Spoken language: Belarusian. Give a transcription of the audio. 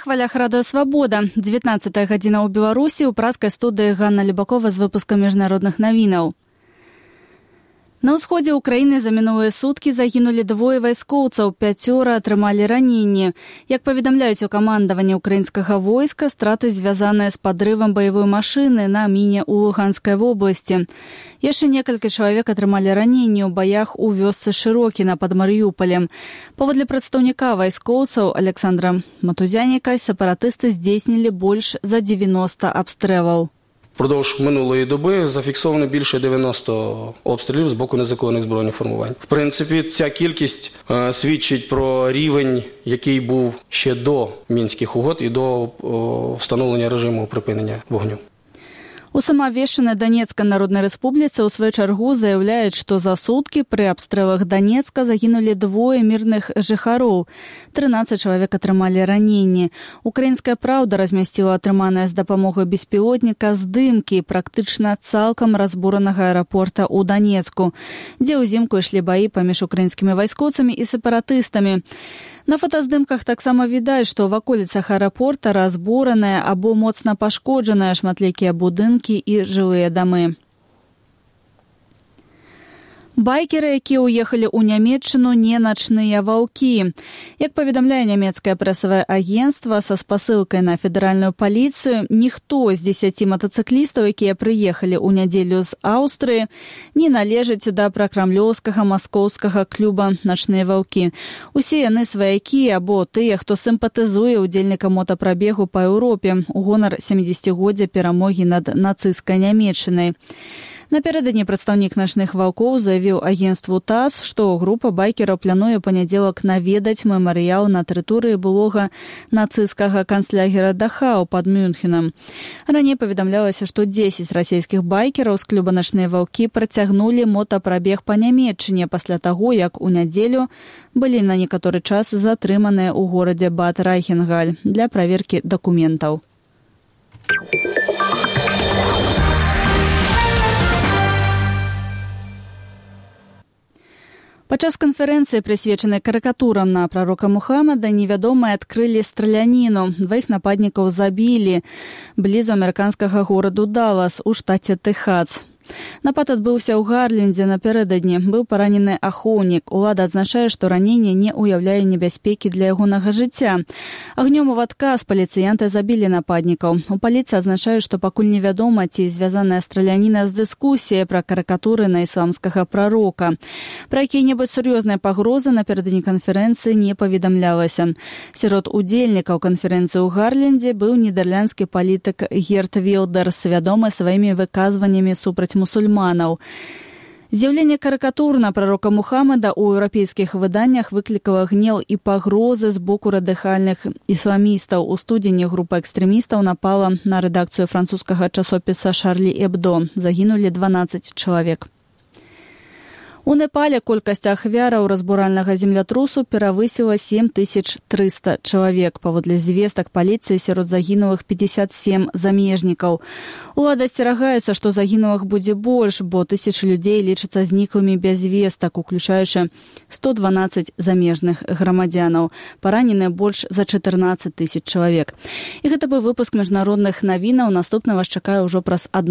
хвалях радыё «Свабода». 19-я гадзіна ў Беларусі, у праскай студыі Ганна Любакова з выпускам міжнародных навінаў. На ўсходзе ўкраіны за мінулыя суткі загінулі 2 вайскоўцаў, 5 атрымалі раненні. Як паведамляюць у камандаванні ўкраінскага войска, страты звязаныя з падрывам баявой машыны на міне ў Луганскай вобласці. Яшчэ некалькі чалавек атрымалі раненні ў баях у вёсцы Шырокіна пад Марыюполем. Паводле прадстаўніка вайскоўцаў Александра Матузяніка, сепаратысты здзейснілі больш за 90 абстрэлаў. Впродовж минулої доби зафіксовано більше 90 обстрілів з боку незаконних збройних формувань. В принципі, ця кількість свідчить про рівень, який був ще до Мінських угод і до встановлення режиму припинення вогню. У самаабвешчанай Донецкай Народнай Рэспубліцы ў сваю чаргу заяўляюць, што за суткі пры абстрэлах Донецка загінулі 2 мірных жыхароў. 13 чалавек атрымалі раненні. Украінская праўда размясціла атрыманае з дапамогай беспілотніка здымкі практычна цалкам разбуранага аэрапорта ў Донецку, дзе ўзімку ішлі баі паміж украінскімі вайскоўцамі і сепаратыстамі. На фотаздымках таксама відаць, што ў ваколіцах аэрапорта разбураныя або моцна пашкоджаныя шматлікія будынкі і жылыя дамы. Байкеры, якія ўехалі ў Нямецчыну, не начныя ваўкі. Як паведамляе нямецкае прэсавае агенцтва са спасылкай на федэральную паліцыю, ніхто з 10 матацыклістаў, якія прыехалі ў нядзелю з Аўстрыі, не належыць да пракрамлёўскага маскоўскага клуба «Начныя ваўкі». Усе яны сваякі або тыя, хто сімпатызуе ўдзельнікам мотапрабегу па Еўропе у гонар 70-годдзя перамогі над нацысцкай Нямецчынай. Напярэдадні прадстаўнік начных ваўкоў заявіў агенцтву ТАСС, што група байкераў плануе панядзелак наведаць мемарыял на тэрыторыі былога нацысцкага канцлагера Дахау пад Мюнхенам. Раней паведамлялася, што 10 расійскіх байкераў з клуба «Начныя ваўкі» працягнулі мотапрабег па Нямецчыне пасля таго, як у нядзелю былі на некаторы час затрыманыя ў горадзе Бад Райхенгаль для праверкі дакументаў. Падчас канферэнцыі, прысвечанай карыкатурам на прарока Мухаммада, невядомыя адкрылі страляніну. 2 нападнікаў забілі блізу амерыканскага гораду Даллас у штаце Тэхас. Напад адбыўся ў Гарлендзе напярэдадні. Быў паранены ахоўнік. Улада адзначае, што раненне не ўяўляе небяспекі для ягонага жыцця. Агнём у адказ паліцыянты забілі нападнікаў. У паліцыі адзначаюць, што пакуль невядома, ці звязаная страляніна з дыскусіяй пра карыкатуры на ісламскага прарока. Пра якія-небудзь сур'ёзныя пагрозы напярэдадні канферэнцыі не паведамлялася. Сярод удзельнікаў канферэнцыі ў Гарлендзе быў нідерландскі палітык Герт Вілдерс, вядомы сваімі выказваннямі супраць мусульманаў. З'яўленне карыкатур на прарока Мухаммада ў еўрапейскіх выданнях выклікала гнеў і пагрозы з боку радыкальных ісламістаў. У студзені група экстрэмістаў напала на рэдакцыю французскага часопіса «Шарлі Эбдо». Загінулі 12 чалавек. У Непале колькасць ахвяраў разбуральнага землятрусу перавысіла 7300 чалавек. Паводле звестак паліцыі сярод загінулых 57 замежнікаў. Улада асцерагаецца, што загінулых будзе больш, бо тысячы людзей лічацца зніклымі без вестак, уключаючы 112 замежных грамадзянаў. Параненыя больш за 14 000 чалавек. І гэта быў выпуск міжнародных навінаў. Наступны вас чакае ўжо праз 1